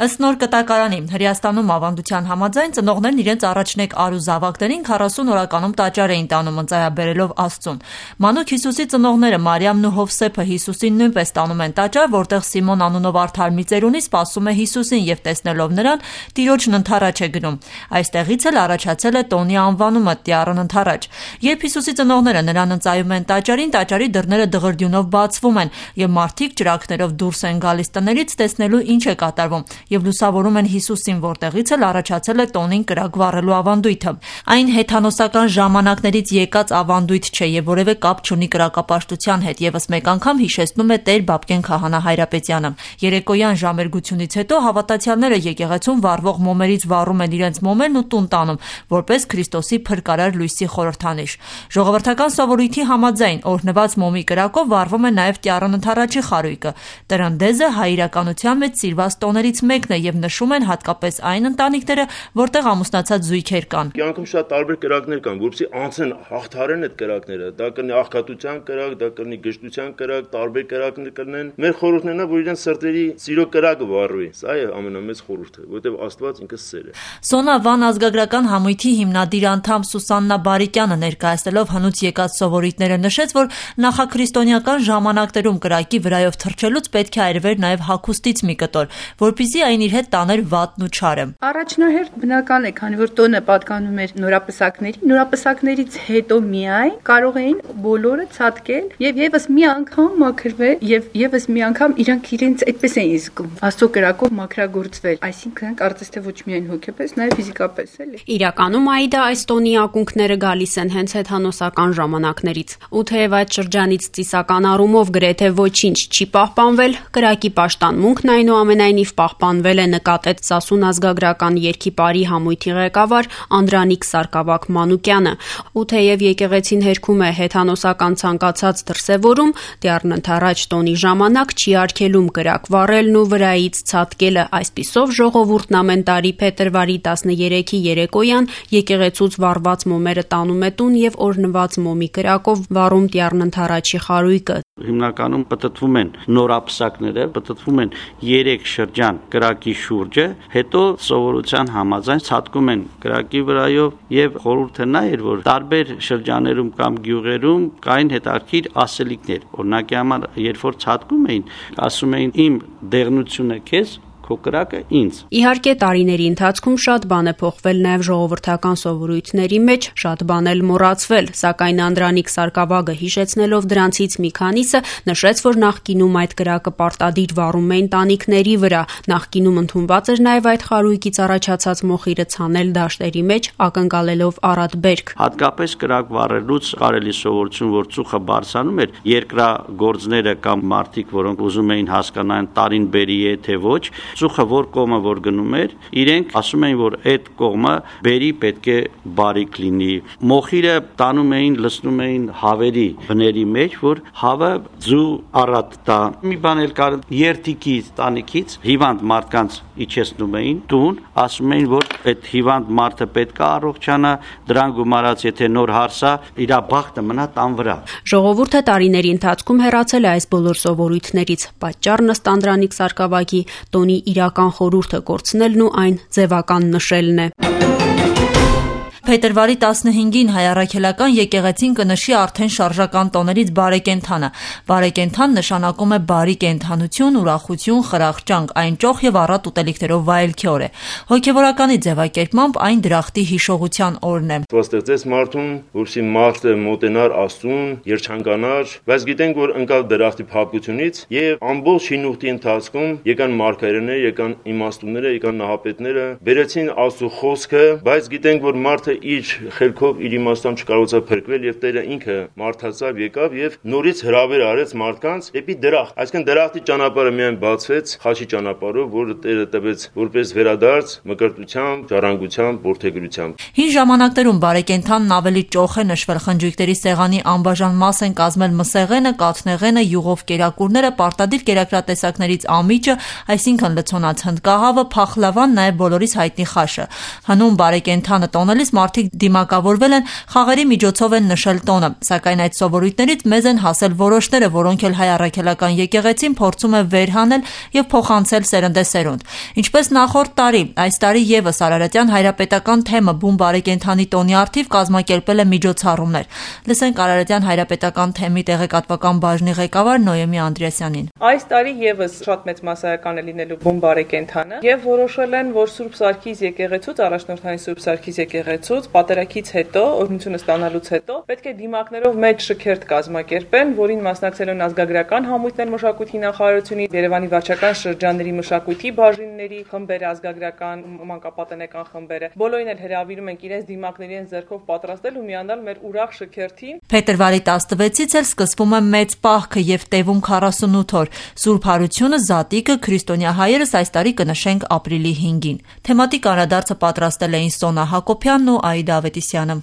Ըստ նոր կտակարանի, Հրեաստանում ավանդության համաձայն ծնողներն իրենց առաջնեկ արու զավակներին 40 օրականում տաճար էին տանում ընծայաբերելով Աստծուն։ Մանուկ Հիսուսի ծնողները Մարիամն ու Հովսեփը Հիսուսին նույնպես տանում են տաճար, որտեղ Սիմոն անունով արդար մի ծերունի սպասում է Հիսուսին եւ տեսնելով նրան տիրոջն ընթառաջ է գնում։ Այստեղից էլ առաջացել է տոնի անվանումը Տյառն ընթառաջ։ Երբ Հիսուսի ծնողները նրան ընծայում են տաճարին, տաճարի դռները դղրդյունով բացվում են եւ մարդիկ ճրագներով դուրս են գալիս տներից տեսնելու ինչ է կատարվում եւ լուսավորում են Հիսուսին, որտեղից էլ առաջացել է տոնին կրակ վառելու ավանդույթը։ Այն հեթանոսական ժամանակներից եկած ավանդույթ չէ եւ որևէ կապ չունի կրակապաշտության հետ, եւս մեկ անգամ հիշեցնում է Տեր Բաբկեն Քահանա Հայրապետյանը։ Երեկոյան ժամերգությունից հետո հավատացյալները եկեղեցում վառվող մոմերից վառում են իրենց մոմերն ու տուն տանում, որպես Քրիստոսի փրկարար լույսի խորհրդանիշ։ Ժողովրդական սովորույթի համաձայն օրհնված մոմի կրակով վառվում է նաև Տյառն ընթառաջի խարույկը։ Տրնդեզը հայրականության մեջ սիրված տոներից մեկն է եւ նշում են հատկապես այն ընտանիքները, որտեղ ամուսնացած զույգեր կան։ Կյանքում շատ տարբեր կրակներ կան, որպեսզի անցեն հաղթարեն այդ կրակները։ Դա կլինի աղքատության կրակ, դա կլինի գժտության կրակ, տարբեր կրակներ կլինեն։ Մեր խորհուրդն է, որ իրենց սրտերի սիրո կրակը վառվի։ Սա է ամենամեծ խորհուրդը, որովհետև Աստված ինքը սեր է։ Սոնա Վան ազգագրական համույթի հիմնադիր անդամ Սուսաննա Բարիկյանը ներկայացնելով հնուց եկած սովորույթները նշեց, որ նախաքրիստոնեական ժամանակներում կրակի վրայով թռչելուց պետք է այրվեր նաև հագուստից մի կտոր, որպեսզի այն իր հետ տաներ վատն ու չարը։ Առաջնահերթ բնական է, քանի որ տոնը պատկանում էր նորապսակներից հետո միայն կարող էին բոլորը ցատկել եւ եւս մի անգամ մաքրվել եւ եւս մի անգամ իրանք իրենց այդպես էին զգում Աստծո կրակով մաքրագործվել, այսինքն կարծես թե ոչ միայն հոգեպես, նաեւ ֆիզիկապես էլի։ Իրականում Աիդա այս տոնի ակունքները գալիս են հենց հեթանոսական ժամանակներից։ Ու թեև այդ շրջանից ծիսական առումով գրեթե ոչինչ չի պահպանվել, կրակի պաշտամունքն այնուամենայնիվ պահպանվել է, նկատեց Սասուն ազգագրական երգի պարի համույթի ղեկավար Անդրանիկ Սարգսակ Մանուկյանը։ Ու թեև եկեղեցին հերքում է հեթանոսական ցանկացած դրսևորում, Տյառն ընթառաջ տոնի ժամանակ չի արգելում կրակ վառելն ու վրայից ցատկելը։ Այսպիսով ժողովուրդն ամեն տարի փետրվարի 13-ի երեկոյան եկեղեցուց վառված մոմերը տանում է տուն եւ օրհնված մոմի կրակով վառում Տյառն ընթառաջի խարույկը։ Հիմնականում պտտվում են նորապսակները, պտտվում են 3 շրջան կրակի շուրջը, հետո սովորության համաձայն ցատկում են կրակի վրայով եւ խորհուրդը նա էր, որ տարբեր շրջաներում կամ գյուղերում կային հետաքրքիր ասելիքներ։ Օրինակի համար, երբ որ ցատկում էին, ասում էին իմ դեղնությունը քեզ, քո կրակը ինձ։ Իհարկե տարիների ընթացքում շատ բան է փոխվել նաև ժողովրդական սովորույթների մեջ, շատ բան էլ մոռացվել, սակայն Անդրանիկ Սարգսակը հիշեցնելով դրանցից մի քանիսը նշեց, որ նախկինում այդ կրակը պարտադիր վառում էին տանիքների վրա, նախկինում ընդունված էր նաև այդ խարույկից առաջացած մոխիրը ցանել դաշտերի մեջ, ակնկալելով առատ բերք։ Հատկապես կրակ վառելուց կարելի սովորություն, որ ծուխը բարձրանում էր, երկրագործները կամ մարդիկ, որոնք ուզում էին հասկանալ տարին բերի է թե ոչ, ծուխը որ կողմը որ գնում էր, իրենք ասում էին, որ այդ կողմը բերի պետք է բարիք լինի։ Մոխիրը տանում էին, լցնում էին հավերի բների մեջ, որ հավը ձու առատ տա։ Մի բան էլ կար, երթիկի տանիքից հիվանդ մարդկանց իջեցնում էին տուն, ասում էին, որ այդ հիվանդ մարդը պետք է առողջանա, դրան գումարած եթե նոր հարսա, իր բախտը մնա տան վրա։ Ժողովուրդը տարիների ընթացքում հեռացել է այս բոլոր սովորույթներից։ Պատճառն ըստ Անդրանիկ Սարգսակի տոնի իրական խորհուրդը կորցնելն ու այն ձևական նշելն է։ Փետրվարի 15-ին հայ առաքելական եկեղեցին կնշի արդեն շարժական տոներից բարեկենդանը։ Բարեկենդան նշանակում է բարի կենդանություն, ուրախություն, խրախճանք, այն ճոխ եւ առատ ուտելիքներով վայելքի օր է։ Հոգեվորականի ձևակերպմամբ այն դրախտի հիշողության օրն է։ Ստեղծեց մարդուն, որպեսզի մարդը մոտենար Աստծուն, երջանկանար, բայց գիտենք, որ ընկավ դրախտի փափկությունից եւ ամբողջ հինուղտի ընթացքում եկան մարգարեները, եկան իմաստունները, եկան նահապետները, բերեցին Աստծո խոսքը, բայց գիտենք, որ մարդը իր խելքով իր իմաստությամբ չկարողացավ փրկվել եւ Տերը ինքը մարդացավ եկավ եւ նորից հրավեր արեց մարդկանց դեպի դրախտ, այսինքն դրախտի ճանապարհը միայն բացվեց խաչի ճանապարհով, որը Տերը տվեց որպես վերադարձ մկրտությամբ, ժառանգությամբ, որդեգրությամբ։ Հին ժամանակներում բարեկենդանն ավելի ճոխ է նշվել, խնջույքների սեղանի անբաժան մաս են կազմել մսեղենը, կաթնեղենը, յուղով կերակուրները, պարտադիր կերակրատեսակներից ամիջը, այսինքն լցոնած հնդկահավը, փախլավան, նաեւ բոլորիս հայտնի խաշը։ Հնում բարեկենդանը տոնելիս մարդիկ դիմակավորվել են, խաղերի միջոցով են նշել տոնը, սակայն այդ սովորույթներից մեզ են հասել որոշները, որոնք էլ հայ առաքելական եկեղեցին փորձում է վեր հանել եւ փոխանցել սերնդեսերունդ։ Ինչպես նախորդ տարի, այս տարի եւս Արարատյան հայրապետական թեմը բուն բարեկենդանի տոնի առթիվ կազմակերպել է միջոցառումներ։ Լսենք Արարատյան հայրապետական թեմի տեղեկատվական բաժնի ղեկավար Նոյեմի Անդրեասյանին։ Այս տարի եւս շատ մեծ մասսայական է լինելու բուն բարեկենդանը եւ որոշել են, որ Սուրբ Սարգիս եկեղեցուց, առաջնորդային Սուրբ Սարգիս եկեղեցուց պատերակից հետո, օրհնությունը ստանալուց հետո պետք է դիմակներով մեծ շքերթ կազմակերպեն, որին մասնակցելու են ազգագրական համույթներ մշակույթի նախարարությունից, Երևանի վարչական շրջանների մշակույթի բաժինների խմբերը, ազգագրական, մանկապատենեկան խմբերը։ Բոլորին էլ հրավիրում ենք իրենց դիմակների են ձեռքով պատրաստել ու միանալ մեր ուրախ շքերթին։ Փետրվարի 16-ից էլ սկսվում է մեծ պահքը եւ տևում 48 օր։ Սուրբ Հարությունը, Զատիկը, քրիստոնյա հայերս այս տարի կնշենք ապրիլի 5-ին։ Թեմատիկ անդրադարձը պատրաստել էին Սոնա Հակոբյանն ու Աիդա Ավետիսյանը։